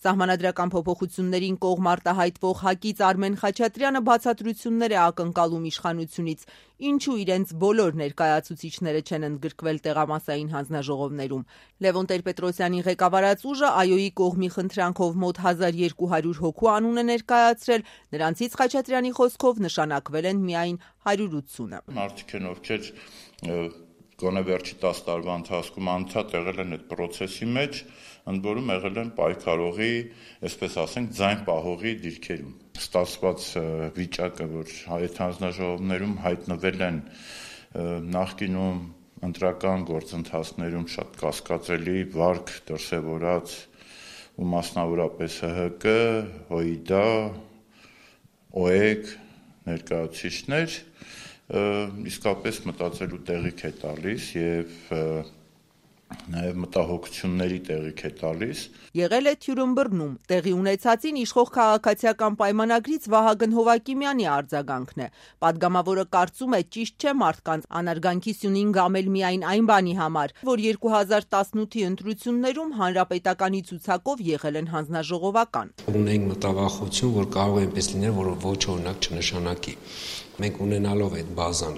Սահմանադրական փոփոխություններին կողմ արտահայտվող ՀԱԿ-ից Արմեն Խաչատրյանը բացատրություններ է ակնկալում իշխանությունից, ինչու իրենց բոլոր ներկայացուցիչները չեն ընդգրկվել տեղամասային հանձնաժողովներում։ Լևոն Տեր-Պետրոսյանի ղեկավարած ուժը ԱՅՈ-ի կողմի խնդրանքով մոտ 1200 հոգու անուն է ներկայացրել, նրանցից Խաչատրյանի խոսքով նշանակվել են միայն 180-ը։ Մարդիկ են, ովքեր գոնե վերջի 10 տարվա ընթացքում անդադ եղել են այդ պրոցեսի մեջ, ընդ որում եղել են պայքարողի, այսպես ասենք, ձայն պահողի դիրքերում։ Ստացված վիճակը, որ այդ հանձնաժողովներում հայտնվել են նախկինում ընտրական գործընթացներում շատ կասկածելի վարք դրսևորած ու մասնավորապես ՀՀԿ, ՀՅԴ, ՕԵԿ ներկայացուցիչներ իսկապես մտածելու տեղիք է տալիս եւ նաև մտահոգությունների տեղիք է տալիս։ Եղել է Թյուրըմբռնում, տեղի ունեցածին իշխող քաղաքացիական պայմանագրից Վահագն Հովակիմյանի արձագանքն է։ Պատգամավորը կարծում է ճիշտ չէ մարդկանց անարգանքի սյունին գամել միայն այն բանի համար, որ 2018-ի ընտրություններում հանրապետականի ցուցակով եղել են հանձնաժողովական։ Ունենք մտավախություն, որ կարող է այնպես լինել, որ ոչ օրինակ չնշանակի։ Մենք ունենալով այդ բազան,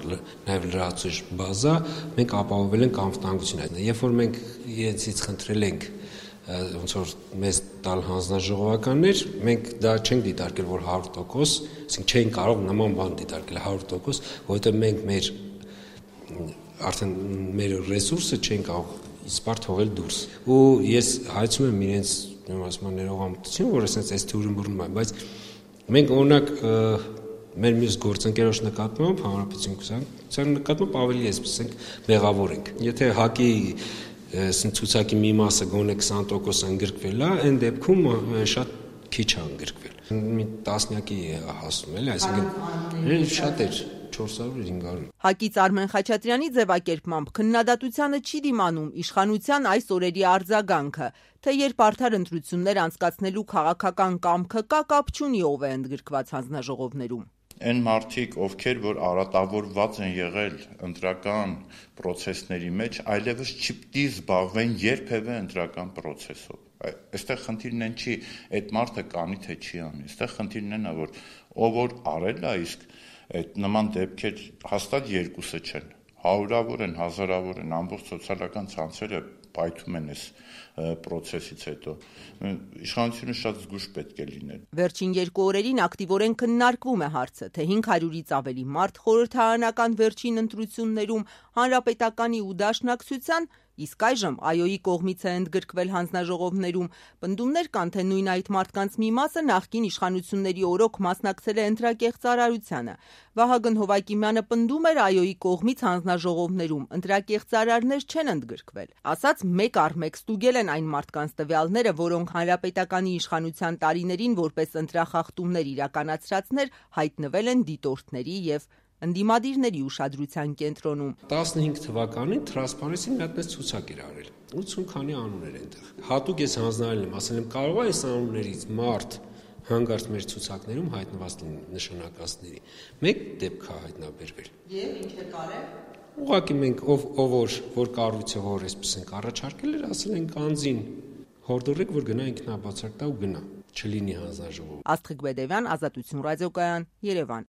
նաև լրացուցիչ բազա, մենք ապահովել ենք անվտանգությունը։ Երբ որ մենք իրենցից խնդրել ենք ոնց որ մեզ տալ հանձնաժողովականներ, մենք դա չենք դիտարկել, որ 100%, ասենք չենք կարող նման բան դիտարկել 100%, որովհետև մենք արդեն մեր ռեսուրսը չենք կարող իսպար թողել դուրս։ Ու ես հայցում եմ իրենց ներողամտություն, որ այս Թյուրըմբռնում է, բայց մենք օրինակ մեր մյուս գործընկերոջ նկատմամբ հանրապետության նկատմամբ ավելի այսպես մեղավոր ենք։ Եթե ՀԱԿ-ի ցուցակի մի մասը գոնե 20% ընդգրկվել է, այն դեպքում շատ քիչ է ընդգրկվել։ Մի տասնյակի հասնում էլի, այսինքն շատ էր 400-500։ ՀԱԿ-ից Արմեն Խաչատրյանի ձևակերպմամբ քննադատությանը չի դիմանում իշխանության այս օրերի արձագանքը, թե երբ արդար ընտրություններ անցկացնելու քաղաքական կամքը կա, կապ չունի ով է ընդգրկված հանձնաժողովներում։ Այն մարդիկ, ովքեր որ արատավորված են եղել ընտրական պրոցեսների մեջ, այլևս չպիտի զբաղվեն երբևէ ընտրական պրոցեսով։ Այստեղ խնդիրն են չի, այդ մարդը կանի թե չի անի, այստեղ խնդիրն են, որ ով որ արել է, իսկ այդ նման դեպքեր հաստատ երկուսը չեն, հարյուրավոր են, հազարավոր են, ամբողջ սոցիալական ցանցերը պայթում են այս պրոցեսից հետո։ Իշխանությունը շատ զգույշ պետք է լինել։ Վերջին 2 օրերին ակտիվորեն քննարկվում է հարցը, թե 500-ից ավելի մարդ խորհրդարանական վերջին ընտրություններում հանրապետականի ու դաշնակցության, իսկ այժմ ԱՅՈ-ի կողմից է ընդգրկվել հանձնաժողովներում, պնդումներ կան, թե նույն այդ մարդկանց մի մասը նախկին իշխանությունների օրոք մասնակցել է ընտրակեղծարարությանը։ Վահագն Հովակիմյանը պնդում էր ԱՅՈ-ի կողմից հանձնաժողովներում ընտրակեղծարարներ չեն ընդգրկվել։ Ասաց մեկ առ մեկ ստուգել են այն մարդկանց տվյալները, որոնք հանրապետականի իշխանության տարիներին որպես ընտրախախտումներ իրականացրածներ հայտնվել են դիտորդների եւ ընդդիմադիրների ուշադրության կենտրոնում։ 15 թվականին Transparency-ն մի հատ ցուցակ էր արել։ 80 քանի անուն էր այնտեղ։ Հատուկ ես հանձնարարել եմ, ասել եմ կարող է այս անուններից մարդ հանգարց մեր ցուցակներում հայտնված լինի նշանակածների։ Մեկ դեպք է հայտնաբերվել։ Եվ ինչ է կարել։ Ուղղակի մենք ով որ կառույցը որ այսպես ենք առաջարկել էր, ասել ենք անձին հորդորեք, որ գնա ինքնաբացակ տա ու գնա, չլինի հանձնաժողով։ Աստղիկ Բեդևյան, Ազատություն ռադիոկայան, Երևան։